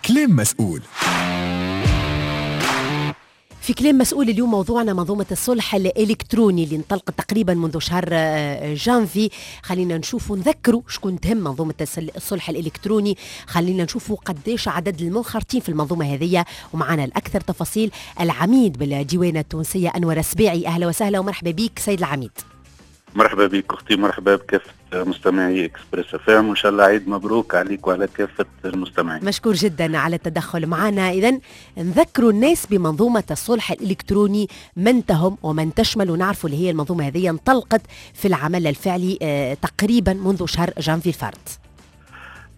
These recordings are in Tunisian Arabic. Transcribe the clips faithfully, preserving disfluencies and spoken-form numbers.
كلام مسؤول. في كلام مسؤول اليوم موضوعنا منظومة الصلح الإلكتروني اللي انطلقت تقريبا منذ شهر آه، جانفي. خلينا نشوفوا، نذكروا شكون تهم منظومة الصلح الإلكتروني، خلينا نشوفوا قديش عدد المنخرطين في المنظومة هذه. ومعنا الأكثر تفاصيل العميد بالديوانة التونسية أنور السباعي. أهلا وسهلا ومرحبا بك سيد العميد. مرحبا بك اختي، مرحبا بكافة مستمعي Express FM، وان شاء الله عيد مبروك عليك وعلى كافة المستمعين. مشكور جدا على التدخل معنا. اذا نذكروا الناس بمنظومة الصلح الالكتروني، من تهم ومن تشمل، ونعرفوا اللي هي المنظومة هذه انطلقت في العمل الفعلي آه تقريبا منذ شهر جانفي الفارط.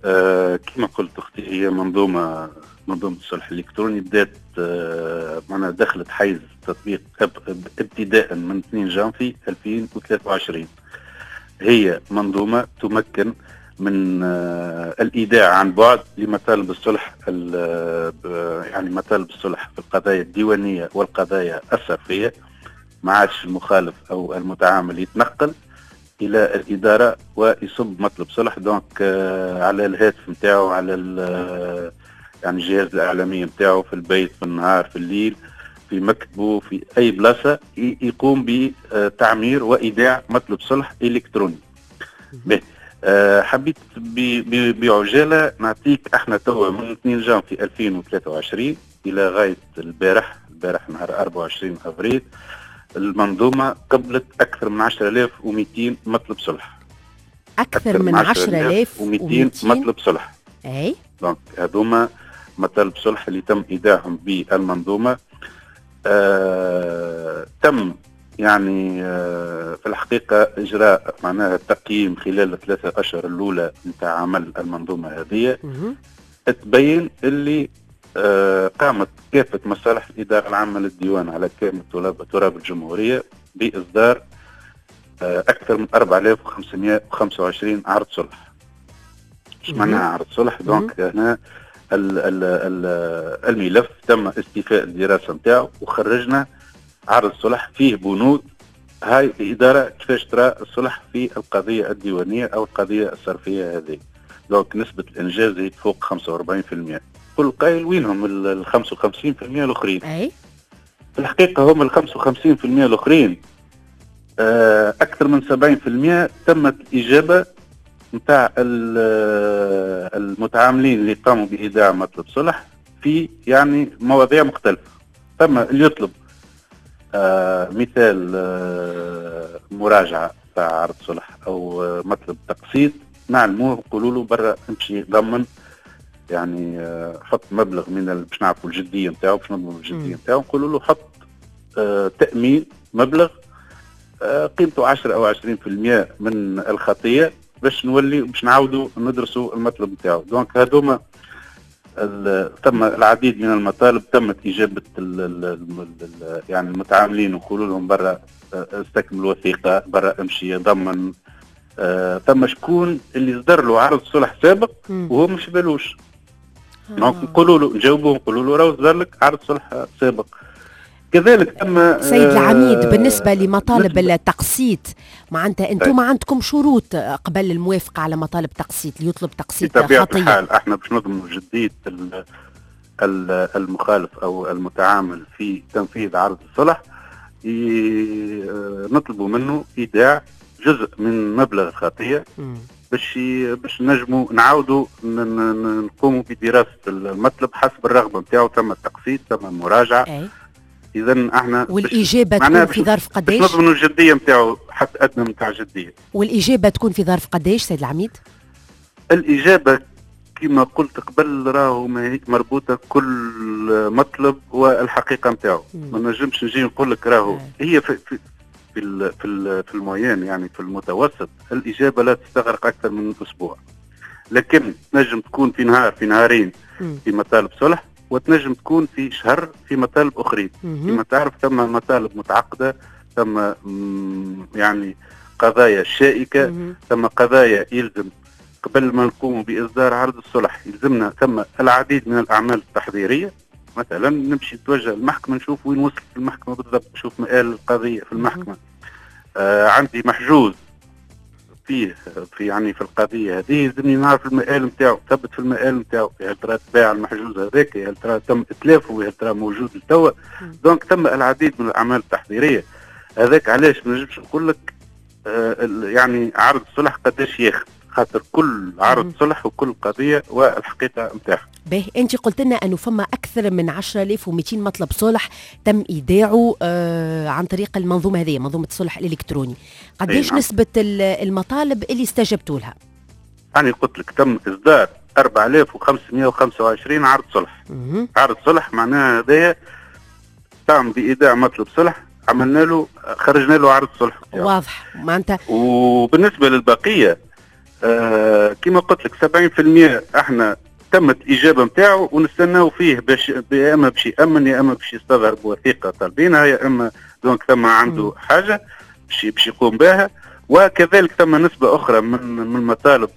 آه كما قلت اختي، هي منظومه منظومة الصلح الالكتروني بدات آه معناها دخلت حيز تطبيق ابتداء من اثنين جانفي ألفين وثلاثة وعشرين. هي منظومة تمكن من آه الإيداع عن بعد لمطالب الصلح، يعني مطالب الصلح في القضايا الديوانية والقضايا الصرفية. ما عادش المخالف أو المتعامل يتنقل إلى الإدارة ويصب مطلب صلح، donc آه على الهاتف نتاعو، على يعني الجهاز الإعلامي نتاعو، في البيت، في النهار، في الليل، في مكتبه، في أي بلاصة، يقوم بتعمير وإيداع مطلب صلح إلكتروني. به أه حبيت بعجالة نعطيك احنا توا من اثنين جانفي ألفين وثلاثة وعشرين إلى غاية البارح، البارح نهار أربعة وعشرين أفريل، المنظومة قبلت أكثر من عشرة آلاف ومئتين مطلب صلح. أكثر, أكثر من عشرة آلاف ومئتين مطلب صلح. أي donc هذوما مطالب صلح اللي تم إيداعهم بالمنظومة. آه، تم يعني آه، في الحقيقة إجراء معناها التقييم خلال الثلاثة أشهر الأولى نتاع عمل المنظومة هذه. تبين اللي آه، قامت كافة مصالح الإدارة العامة للديوان على كامل تراب الجمهورية بإصدار آه، أكثر من أربعة آلاف وخمسمائة وخمسة وعشرين عرض صلح. ايش معناها عرض صلح؟ donc هنا ال ال ال الملف تم استيفاء الدراسة نتاعو وخرجنا عرض صلح فيه بنود. هاي الادارة كيفاش ترى الصلح في القضية الديوانيه او القضية الصرفيه هذه. donc نسبه الانجاز هي فوق خمسة وأربعين بالمئة. كل قايل وينهم ال خمسة وخمسين بالمئة الاخرين؟ اي في الحقيقة هم ال خمسة وخمسين بالمئة الاخرين آه اكثر من سبعين بالمئة تمت الاجابة نتاع المتعاملين اللي قاموا بإيداع مطلب صلح في يعني مواضيع مختلفة. ثم اللي يطلب آه مثال آه مراجعة تاع عرض صلح أو آه مطلب تقسيط، نعلموه نقولوا له برا امشي ضمن، يعني آه حط مبلغ من باش نعرفوا الجدية نتاعو، باش نضمنوا الجدية نتاعو، نقولوا له حط آه تأمين مبلغ آه قيمته عشرة أو عشرين بالمئة من الخطية باش نولي باش نعاودوا ندرسوا المطلب نتاعو. donc هذوما ثم العديد من المطالب تمت اجابه ال ال ال يعني المتعاملين، نقولوا لهم برا استكمل الوثيقة، برا امشي ضمن. آه ثم شكون اللي صدر له عرض صلح سابق وهو مش بالوش. donc نقولوا له، نجاوبوه نقولوا له راهو صدر لك عرض صلح سابق. كذلك تم سيد العميد بالنسبة لمطالب التقسيط، معناتها أنتم عندكم شروط قبل الموافقة على مطالب تقسيط، اللي يطلب تقسيط خطية؟ بطبيعة الحال احنا باش نضمنوا جدية المخالف أو المتعامل في تنفيذ عرض الصلح، نطلبوا منه إيداع جزء من مبلغ الخطية باش باش نجموا نعاودوا نقوموا بدراسة المطلب حسب الرغبة نتاعو. تم التقسيط، تم المراجعة. أي. اذا احنا والاجابة تكون في ظرف قداش؟ باش نضمنوا الجدية نتاعو، حد ادنى نتاع الجدية. والاجابة تكون في ظرف قداش سيد العميد؟ الاجابة كما قلت قبل راهو مربوطة كل مطلب والحقيقة نتاعو، ما نجمش نجي نقول لك راهو هي في في في في, في المعين، يعني في المتوسط الاجابة لا تستغرق اكثر من اسبوع، لكن تنجم تكون في نهار، في نهارين في مطالب صلح، وتنجم تكون في شهر في مطالب اخرين. كما تعرف ثم مطالب متعقده، ثم يعني قضايا شائكة، ثم قضايا يلزم قبل ما نقوم باصدار عرض الصلح يلزمنا ثم العديد من الاعمال التحضيريه. مثلا نمشي نتوجه للمحكمة نشوف وين وصلت المحكمة بالضبط، نشوف مآل القضية في المحكمة. آه عندي محجوز فيه في يعني في القضية هذه يلزمني نعرف المآل نتاعو، ثبت في المآل نتاعو، هل ترى تباع المحجوز هذاك، هل ترى تم اتلافه، هل ترى موجود لتوا. donc تم العديد من الاعمال التحضيريه. هذاك علاش ما نجمش نقول لك آه يعني عرض الصلح قداش ياخذ، خاطر كل عرض صلح وكل قضية والحقيقة نتاعها. باهي، انت قلت لنا انه فما اكثر من عشرة آلاف ومئتين مطلب صلح تم ايداعه آه عن طريق المنظومة هذه، منظومة الصلح الالكتروني. قديش نعم. نسبه المطالب اللي استجبتوا لها؟ انا قلت لك تم اصدار أربعة آلاف وخمسمئة وخمسة وعشرين عرض صلح. مم. عرض صلح معناها هذايا قام بايداع مطلب صلح، عملنا له خرجنا له عرض صلح. واضح معناتها. وبالنسبة للبقيه آه كما قلت لك سبعين بالمئة احنا تمت الاجابة نتاعو ونستناو فيه باش يا اما باش يامن يا اما باش يستظهر بوثيقه طالبينها، يا اما donc ثم عنده حاجة باش باش يقوم بها. وكذلك ثم نسبه اخرى من من المطالب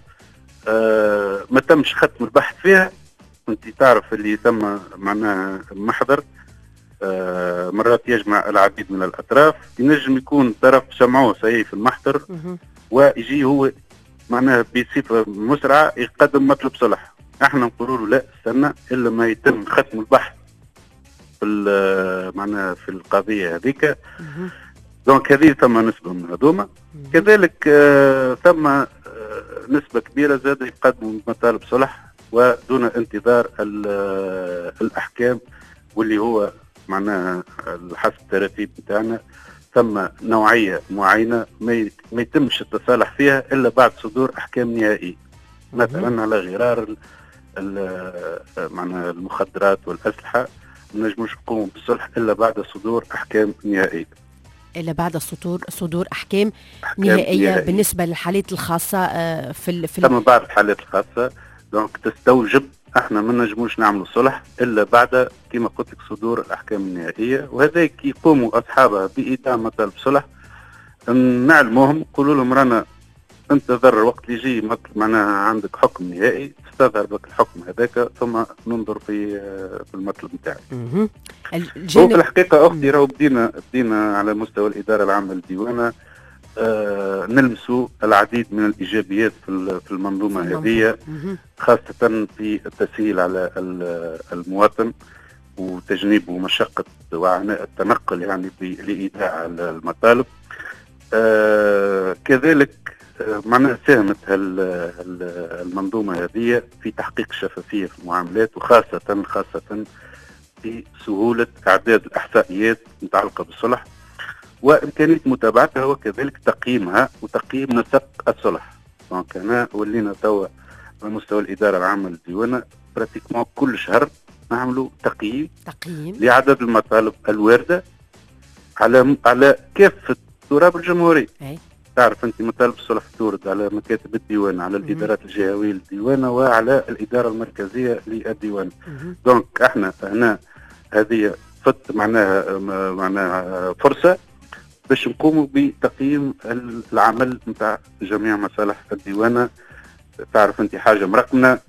آه ما تمش ختم البحث فيها. انت تعرف اللي ثم معناها محضر آه مرات يجمع العديد من الاطراف، ينجم يكون طرف سمعوه صحيح في المحضر ويجي هو معناها بصفة مسرعة يقدم مطلب صلح. احنا نقولوا له لا استنى الا ما يتم ختم البحث في معناها في القضية هذيك. donc هذه ثم نسبه من هذوما. كذلك آه ثم آه نسبه كبيرة زاد يقدموا مطالب صلح ودون انتظار الاحكام، واللي هو معناها حسب التراتيب نتاعنا ثم نوعية معينة ما يتمش التصالح فيها الا بعد صدور احكام نهائية، مثلا على غرار معناها المخدرات والاسلحة ما نجموش نقوموا بالصلح الا بعد صدور احكام نهائية. الا بعد صدور صدور احكام, أحكام نهائية, نهائية بالنسبة للحالات الخاصة في في ثم بعض الحالات الخاصة donc تستوجب احنا ما نجموش نعملوا صلح الا بعد كما قلت لك صدور الاحكام النهائية، وهذا كي يقوموا اصحابها بايداع مطالب صلح نعلموهم نقولوا لهم رانا انتظر وقت اللي يجي معناها عندك حكم نهائي تستظهر بك الحكم هذاك ثم ننظر في في المطلب نتاعك. الجانب... هو في الحقيقة اختي راهو بدينا بدينا على مستوى الادارة العامة للديوانه آه نلمسوا العديد من الايجابيات في في المنظومة هذه، خاصة في التسهيل على المواطن وتجنيبه مشقة وعناء التنقل يعني لايداع المطالب. آه كذلك معناها ساهمت المنظومة هذه في تحقيق الشفافية في المعاملات، وخاصة خاصة في سهولة اعداد الاحصائيات المتعلقة بالصلح وامكانية متابعتها وكذلك تقييمها وتقييم نسق الصلح. donc هنا ولينا توا على مستوى الادارة العامة للديوانه pratiquement كل شهر نعملوا تقييم تقييم لعدد المطالب الواردة على على كافة تراب الجمهورية. أي. تعرف انت مطالب الصلح تورد على مكاتب الديوان، على الادارات الجهوية للديوانه وعلى الادارة المركزية للديوان. donc احنا هنا هذه فت معناها معناها فرصة باش نقوموا بتقييم العمل نتاع جميع مصالح الديوانه. تعرف انت حاجة مرقمه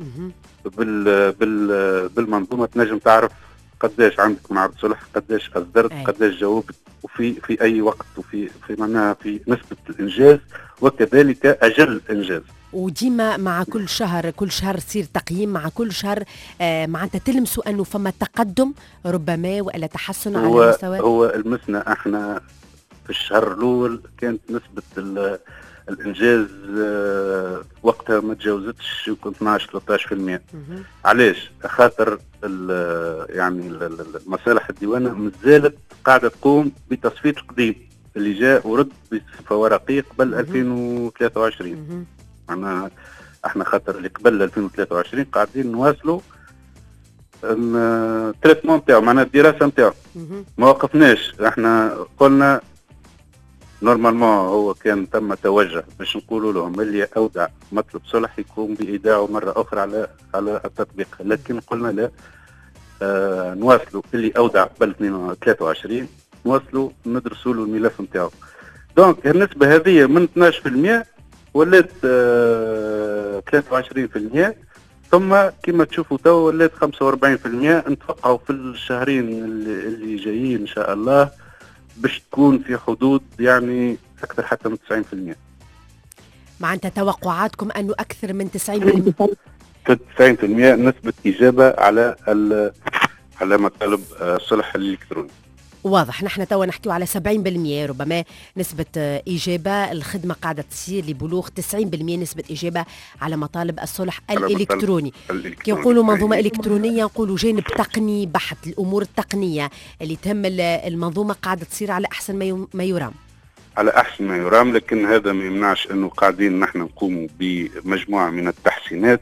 بال بال بالمنظومه تنجم تعرف قداش عندك من عرض صلح، قداش اصدرت، قداش جاوبت، وفي في اي وقت، وفي في معناها في نسبه الانجاز وكذلك اجل الانجاز. وديما مع كل شهر كل شهر تصير تقييم، مع كل شهر آه معناتها تلمسوا انه فما تقدم ربما والا تحسن على المستوى. هو المسنا احنا في الشهر الاول كانت نسبه الانجاز وقتها ما تجاوزتش يمكن اثناش ثلاثة عشر بالمئة. علاش؟ خاطر يعني المصالح الديوانه مازالت قاعدة تقوم بتصفية القديم اللي جاء ورد بصفة ورقية قبل ألفين وثلاثة وعشرين. معناها احنا خاطر اللي قبل ألفين وثلاثة وعشرين قاعدين نواصلوا ال traitement نتاعو، معناها الدراسة نتاعو ما وقفناش. احنا قلنا normalement هو كان تم توجه باش نقولوا لهم اللي اودع مطلب صلح يقوم بايداعه مرة اخرى على على التطبيق، لكن قلنا لا، آه نواصلوا اللي اودع قبل ثلاثة وعشرين نواصلوا ندرسوا له الملف نتاعو. donc النسبة هذه من اثناش بالمئة ولات آه ثلاثة وعشرين بالمئة، ثم كما تشوفوا تو ولات خمسة وأربعين بالمئة. نتوقعوا في الشهرين اللي, اللي جايين ان شاء الله باش تكون في حدود يعني اكثر حتى من تسعين بالمئة. معناتها توقعاتكم أنه أكثر من تسعين بالمئة تسعين بالمئة نسبة إجابة على على مطالب الصلح الإلكتروني. واضح، نحن توا نحكيو على سبعين بالمئة ربما نسبة إجابة، الخدمة قاعدة تصير لبلوغ تسعين بالمئة نسبة إجابة على مطالب الصلح الإلكتروني. كي نقولوا منظومة إلكترونية نقولوا جانب تقني بحت، الأمور التقنية اللي تهم المنظومة قاعدة تصير على أحسن ما يرام. على أحسن ما يرام، لكن هذا ما يمنعش أنه قاعدين نحن نقوم بمجموعة من التحسينات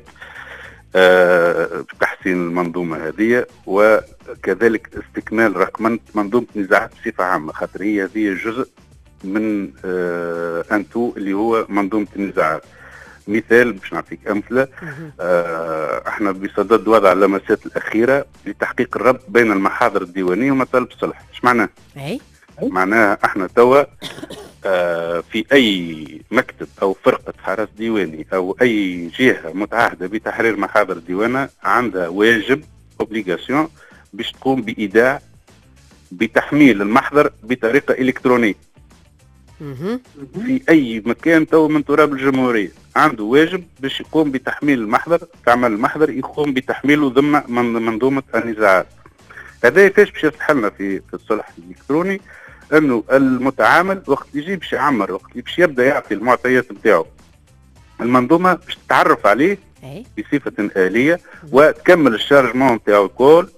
أه تحسين المنظومة هذه، وكذلك استكمال رقمنة منظومة النزاعات بصفة عامة، خاطر هي هذه جزء من أه أنتو اللي هو منظومة النزاعات. مثال باش نعطيك أمثلة، أه احنا بصدد وضع اللمسات الأخيرة لتحقيق الربط بين المحاضر الديوانية ومطالب الصلح. ايش معناه؟ معناها احنا توا آه في اي مكتب او فرقه حرس ديواني او اي جهة متعهده بتحرير محاضر ديوانه عندها واجب obligation باش تقوم بايداع بتحميل المحضر بطريقة الكترونية. في اي مكان تو من تراب الجمهورية عنده واجب باش يقوم بتحميل المحضر، تعمل المحضر يقوم بتحميله ضمن منظومة النزاعات. هذا كيفاش باش يصلح لنا في في الصلح الالكتروني؟ انه المتعامل وقت يجي باش يعمر، وقت باش يبدا يعطي المعطيات نتاعو، المنظومة باش تتعرف عليه بصفة اليه وتكمل ال chargement نتاعو الكل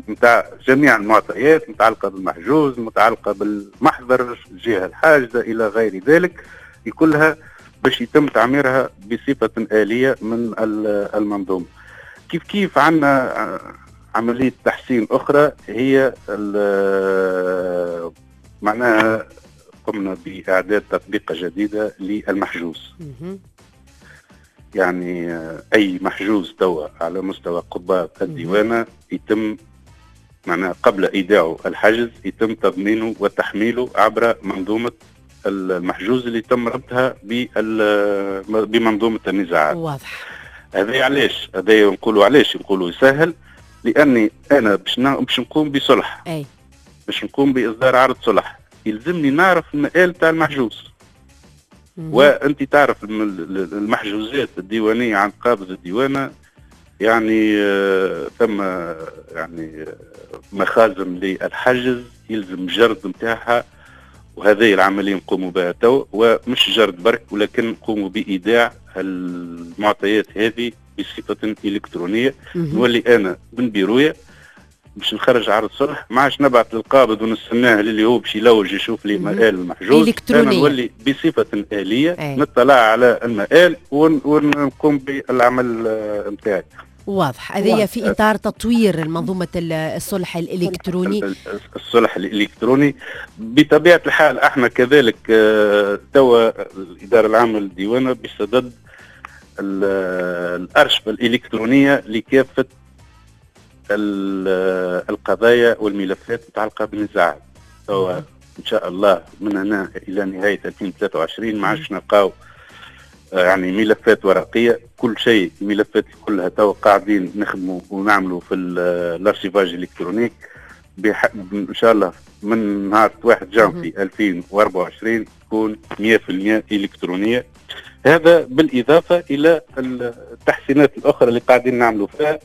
نتاع جميع المعطيات المتعلقة بالمحجوز، المتعلقة بالمحضر، الجهة الحاجزه الى غير ذلك، كلها باش يتم تعميرها بصفة اليه من المنظومة. كيف كيف عندنا عملية تحسين أخرى هي معناها قمنا بإعداد تطبيقة جديدة للمحجوز. يعني أي محجوز توا على مستوى قضاة الديوانة يتم معناها قبل إيداعه الحجز يتم تضمينه وتحميله عبر منظومة المحجوز اللي تم ربطها بمنظومة النزاعات. واضح. هذا علاش؟ هذا نقولوا علاش نقولوا يسهل؟ لاني انا باش باش نقوم بصلح، اي باش نقوم باصدار عرض صلح، يلزمني نعرف المآل تاع المحجوز. وانت تعرف المحجوزات الديوانيه عند قابض الديوانه يعني ثم يعني مخازن للحجز يلزم جرد نتاعها، وهذه العملية نقوموا بها تو، ومش جرد برك ولكن نقوموا بايداع المعطيات هذه بصفة إلكترونية. نولي أنا من بيرويا باش نخرج عرض صلح، ما عادش نبعث للقابض ونستناه للي هو باش يلوج يشوف لي مآل المحجوز. أنا نولي بصفة آلية أي. نطلع على المآل ونقوم بالعمل نتاعي. واضح. هذه في إطار تطوير منظومة الصلح الإلكتروني. الصلح الإلكتروني بطبيعة الحال احنا كذلك توا الإدارة العامة للديوانة بصدد الأرشفة الإلكترونية لكافة القضايا والملفات المتعلقة بالنزاعات. إن شاء الله من هنا إلى نهاية ألفين وثلاثة وعشرين ما عادش نلقاو يعني ملفات ورقية، كل شيء الملفات كلها تو قاعدين نخدموا ونعملوا في l'archivage électronique. إن شاء الله من نهار واحد جانفي ألفين وأربعة وعشرين تكون مئة بالمئة إلكترونية. هذا بالإضافة إلى التحسينات الأخرى اللي قاعدين نعملوا فيها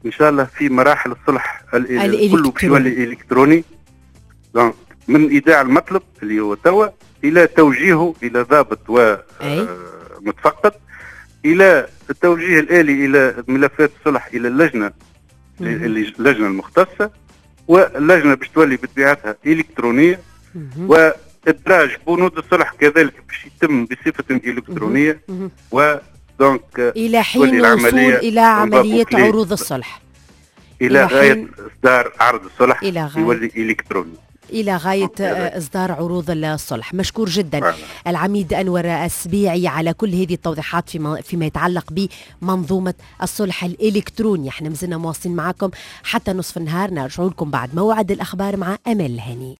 إن شاء الله في مراحل الصلح كله باش يولي إلكتروني، من إيداع المطلب اللي هو توا إلى توجيهه إلى ضابط ومتفقد، إلى التوجيه الآلي إلى ملفات الصلح إلى اللجنة اللجنة المختصة، واللجنة باش تولي بطبيعتها إلكترونية، و ادراج بنود الصلح كذلك باش يتم بصفة الكترونية، و donc الى حين الوصول الى عملية عروض الصلح، الى غاية اصدار عرض الصلح يولي الكتروني الى غاية اصدار عروض الصلح. مشكور جدا العميد انور السبيعي على كل هذه التوضيحات فيما فيما يتعلق بمنظومة الصلح الالكتروني. احنا مازلنا مواصلين معكم حتى نصف النهار، نرجع لكم بعد موعد الاخبار مع امال الهاني.